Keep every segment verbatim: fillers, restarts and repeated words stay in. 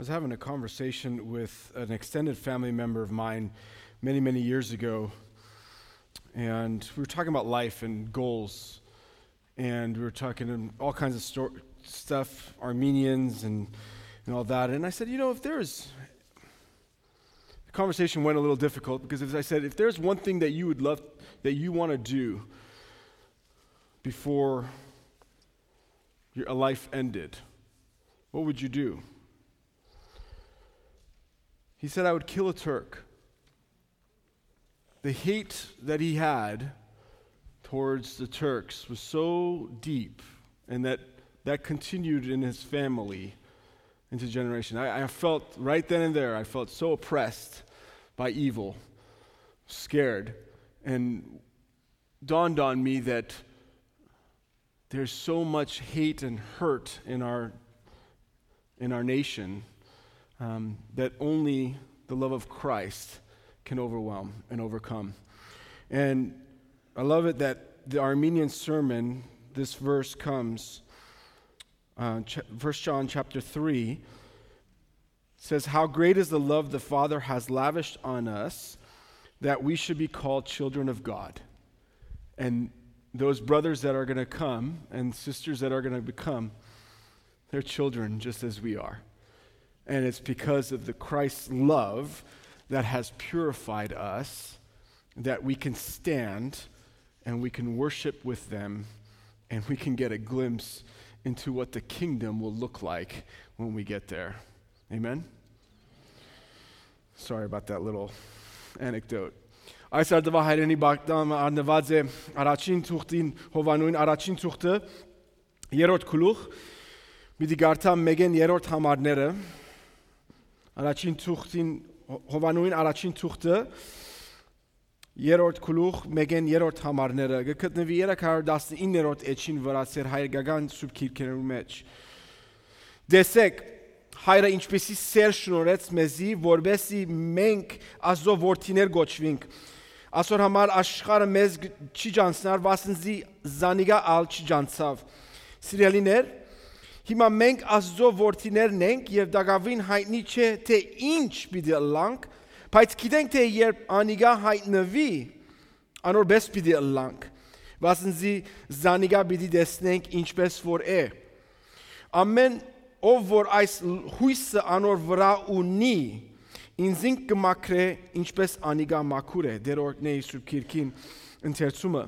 was having a conversation with an extended family member of mine many, many years ago, and we were talking about life and goals, and we were talking all kinds of stor- stuff, Armenians and, and all that. And I said, you know, if there's, the conversation went a little difficult because, as I said, if there's one thing that you would love, that you want to do before your life ended, what would you do? He said, I would kill a Turk. The hate that he had towards the Turks was so deep, and that, that continued in his family into generation. I, I felt right then and there, I felt so oppressed by evil, scared, and dawned on me that there's so much hate and hurt in our in our nation, um, that only the love of Christ can overwhelm and overcome. And I love it that the Armenian sermon, this verse comes, uh, ch- First John chapter three says, how great is the love the Father has lavished on us, that we should be called children of God. And those brothers that are going to come and sisters that are going to become, they're children just as we are. And it's because of the Christ's love that has purified us that we can stand and we can worship with them and we can get a glimpse into what the kingdom will look like when we get there. Amen? Sorry about that little anecdote. Այս արդուահայրենի բակտամ առնված է առաջին թուղթին, Հովանոյին առաջին թուղթը, երրորդ գլուխ, պիտի կարդամ մեկեն երրորդ համարները, առաջին թուղթին, Հովանոյին առաջին թուղթը, երրորդ գլուխ, մեկեն երրորդ համարները, կը գտնուի երեք հարյուր տասնիններորդ էջին վրայ, սեր հայկական սուրբ գիրքերու մեջ։ Տեսեք, հայրը ինչպեսի սեր շնորհեց մեզի, որպեսզի մենք Աստծո որդիներ կոչվինք։ Ասոր համար աշխարհը մեզ կ- չի ճանչնար, վասն զի զանիկա ալ չի ճանչցաւ։ Սիրելիներ, հիմա մենք Աստծո որդիներն ենք եւ տակաւին հայտնի չէ, թե ինչ պիտի ըլլանք, բայց գիտենք, թե երբ անիկա հայտնուի, անոր պէս պիտի ըլլանք, վասն զի զանիկա պիտի տեսնենք ինչպէս որ է։ Ամէն ով որ այս լ- յոյսը անոր վրայ ունի, ինզինք կը մաքրէ, ինչպէս անիկա մաքուր է։ Դեր օրհնէ Սուրբ Գիրքին ընթերցումը։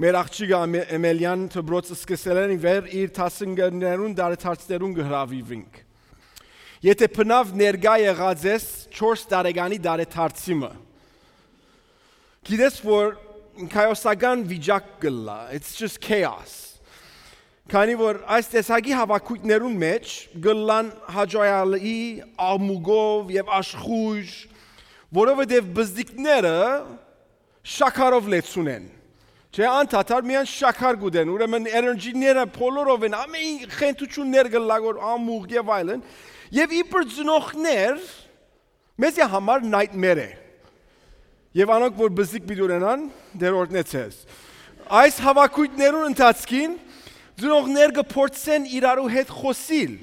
Մեր աղջիկը Αμε- Էմելիան դպրոց սկսելէն ի վեր իր դասընկերներուն տարեդարձներուն կը հրավիրվինք։ Եթե բնաւ ներկայ եղած ես չորս տարեկանի տարեդարձի մը, գիտես որ քայոսական վիճակ կ'ըլլայ, it's just chaos։ Քանի որ այս տեսակի հաւաքոյթներուն մեջ կ'ըլլան հաճոյալի, աղմուկով եւ աշխոյժ, որովհետեւ բզդիկները շաքարով լեցուն են։ Չէ, անդադար միայն շաքար կ'ուտեն, ուրեմն էներգիները բոլորովին, ամեն խենթութիւններ կ'ըլլայ որ ամուղ եւ այլն, եւ իբր ծնողներ, մեզի համար nightmare է։ Եւ անոնք որ բզդիկ պիտի ունենան, դեր օրհնեցես։ Այս հաւաքոյթներուն ընթացքին ծնողներ կը փորձեն իրարու հետ խօսիլ։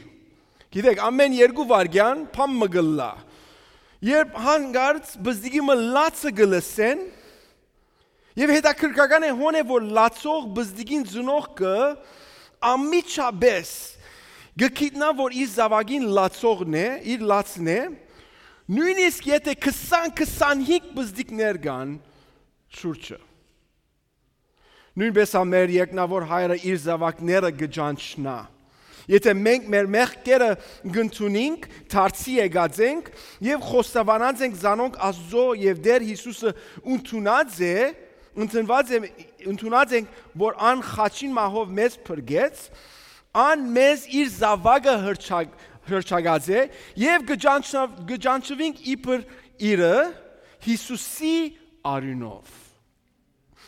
Գիտեք, ամեն երկու վայրկեան բան մը կ'ըլլայ։ Երբ հանկարծ բզդիկի մը լացը կը լսեն, եւ հետաքրքրական է, հոն է որ լացող բզդիկին ծնողքը անմիջապէս կը գիտնայ որ իր զաւակին լացողն է, իր լացն է, նոյնիսկ եթե քսան քսանհինգ բզդիկներ կան շուրջը։ Նոյնպէս ալ մեր երկնաւոր հայրը իր զաւակները կը ճանչնայ։ Եթե մենք մեր մեղքերը կ'ընդունինք, դարձի եկած ենք եւ խոստովանած ենք զանոնք Աստծո եւ Տեր Յիսուսը ընդունած է, ընդունված է, ընդունած ենք որ ան խաչին մահով մեզ փրկեց, ան մեզ իր զաւակը հրճակ- հրճակած է եւ կը ճանչնա- կը ճանչնանք իբր իրը Յիսուսի արիւնով։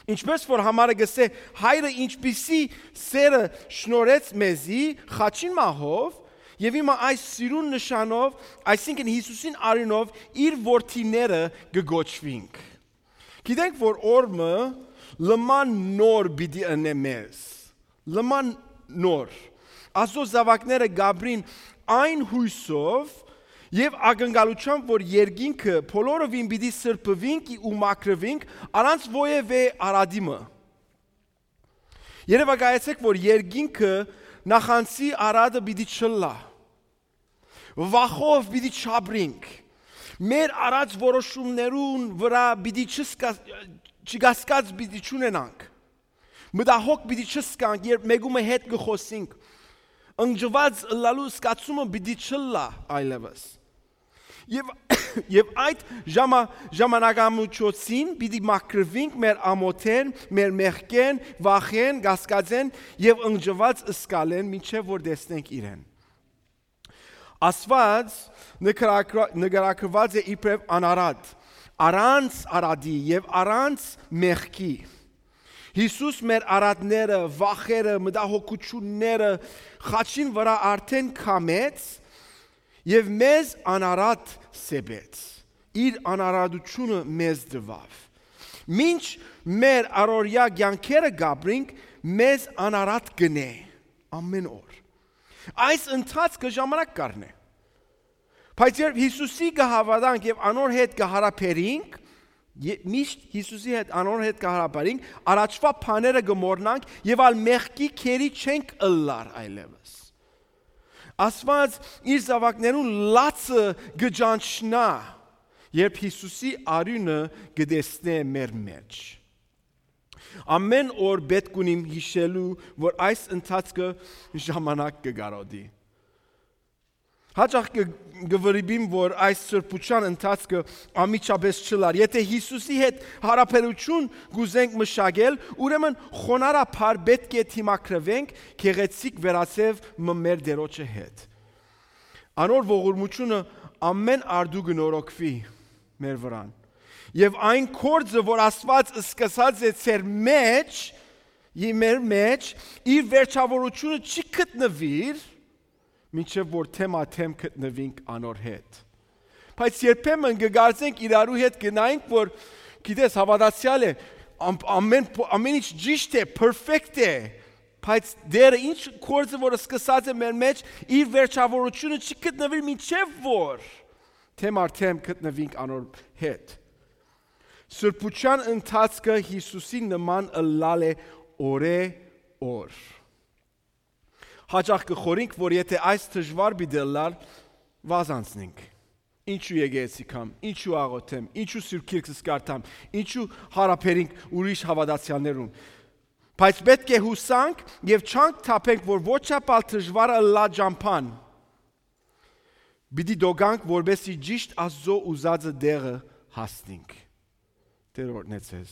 Ինչպէս որ համարը կ'ըսէ, հայրը ինչպիսի սերը շնորհեց մեզի խաչին մահով, եւ հիմա այս սիրուն նշանով, այսինքն Յիսուսին արիւնով իր որդիները կը կոչուինք։ Գիտենք որ օրը լման նոր պիտի ընէ մեզ, լման նոր։ Աստծո զաւակները կ'ապրին այն յոյսով եւ ակնկալությամբ, որ երկինքը բոլորովին պիտի սրբուինք ու մաքրուինք առանց որեւէ արատի մը։ Երեւակայեցէք, որ երկինքը նախանձի արատը պիտի չըլլայ։ Վախով պիտի չապրինք։ Մեր արած որոշումներուն վրա պիտի չսկա-, չկասկած պիտի չունենանք։ Մտահոգ պիտի չսկանք, երբ մեկու մը հետ կը խոսինք։ Ընկճուած ըլլալու զգացումը պիտի չըլլայ այլեւս։ Եւ, եւ այդ ժամա-, ժամանակամիջոցին պիտի մաքրուինք մեր ամօթէն, մեր մեղքէն, վախէն, կասկածէն եւ ընկճուած զգալէն, մինչեւ որ տեսնենք իրեն։ Աստուած նկարագրուած է իբրեւ անարատ, առանց արատի եւ առանց մեղքի։ Յիսուս մեր արատները, վախերը, մտահոգությունները խաչին վրա արդէն քամեց եւ մեզ անարատ սեպեց։ Իր անարատությունը մեզ տուաւ։ Մինչ մեր առօրեայ կեանքերը կապրինք, մեզ անարատ կ'ընէ ամէն օր։ Այս ընթացքը ժամանակ կ'առնէ։ Բայց երբ Յիսուսի կը հաւատանք եւ անոր հետ կը յարաբերինք, ե-, միշտ Յիսուսի հետ, անոր հետ կը յարաբերինք, առաջուայ բաները կը մոռնանք եւ ալ մեղքի քերի չենք ըլլար այլեւս։ Աստուած իր զաւակներուն լացը կը ճանչնայ, երբ Յիսուսի արիւնը կը տեսնէ մեր մէջ։ Ամէն օր պէտք ունիմ յիշելու, որ այս ընթացքը ժամանակ կը կարօտի։ Հաճախ կը, կը վրիպիմ, որ այս սրբութեան ընթացքը անմիջապէս չըլլար։ Եթէ Յիսուսի հետ յարաբերութիւն կ'ուզենք մշակել, ուրեմն խոնարհաբար պէտք է դիմագրուենք գեղեցիկ վերածեւ մը մեր Տիրոջը հետ։ Անոր ողորմութիւնը ամէն արտու կը նորոգուի մեր վրան։ Եւ այն գործը, որ Աստուած սկսած է ձեր մէջ, ի մեր մէջ, իր վերջավորութիւնը չի գտնուիր, մինչեւ որ թեմա թեմ գտնուինք անոր հետ։ Բայց երբեմն կը կարծենք իրարու հետ գնայինք, որ, գիտես, հաւատացեալ է, ամ-, ամեն փո-, ամեն ինչ ճիշտ է, perfect է, բայց Տերը ինչ գործը, որ սկսած է մեր մէջ, իր վերջավորութիւնը չի գտնուիր, մինչեւ որ թեմ արդեն գտնուինք անոր հետ։ Սրբութեան ընթացքը Յիսուսի նման ըլլալ է օրէ օր։ Հաճախ կը խորհենք, որ եթէ այս դժուար պիտի ըլլար, վազանցնենք։ Ինչու եկեղեցի կամ, ինչու աղոթեմ, ինչու Սուրբ Գիրք կ'երթամ, ինչու յարաբերենք ուրիշ հաւատացեալներուն։ Բայց պէտք է յուսանք եւ չանք թափենք, որ ոչ ապալ դժուարը ըլլայ ճամբան։ Պիտի դոգանք, որպեսզի ճիշտ Աստուծոյ ուզածը տեղը հասնենք։ Տէր օրհնեցես։